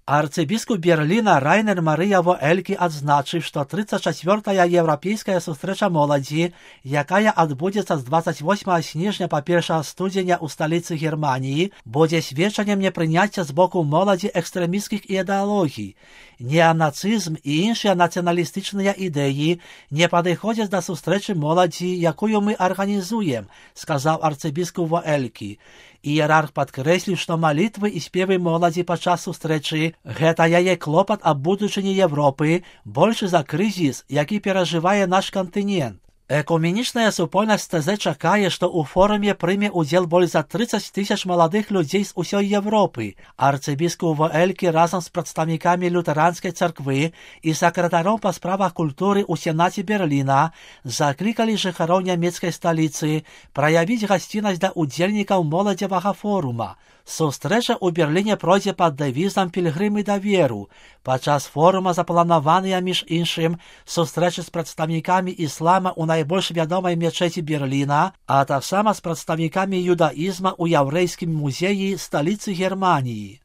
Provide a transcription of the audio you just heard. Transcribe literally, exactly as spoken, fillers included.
Арцыбіскуп Берліна Райнер Марыя Воэлькі адзначыў, што тридцать четвёртая еўрапейская сустрэча моладзі, якая адбудзецца з двадцать восьмага снежня па першага студзеня ў сталіцы Германіі, будзе сведчаннем непрыняцця з боку моладзі экстрэмісцкіх ідэалогій. Неанацызм і іншыя нацыяналістычныя ідэі не падыходзяць да сустрэчы моладзі, якую мы арганізуем, сказаў арцыбіскуп Воэлькі. Іерарх падкрэсліў, што малітвы і спевы моладзі падчас сустрэчы – гэта яе клопат аб будучыні Европы, большы за крызіс, які перажывае наш кантынент. Экуменічная супольнасць тэ зэ чакае, што ў форуме прыме ўдзел больш за тридцать тысяч маладых людзей з усёй Европы. Арцыбіскуп Воэлькі разам з прадстаўнікамі лютэранскай царквы і сакратаром па справах культуры ў Сенаце Берліна заклікалі жыхароў нямецкай сталіцы праявіць гасціннасць да ўдзельнікаў моладзевага форума. Сустрэча ў Берліне пройдзе пад дэвізам «Пілгрымы да веру». Падчас форума запланаваныя, між іншым, сустрэчы з прадстаўнікамі іслама ў найбольш вядомай мечэці Берліна, а таксама з прадстаўнікамі юдаізма ў яўрэйскім музеі сталіцы Германіі.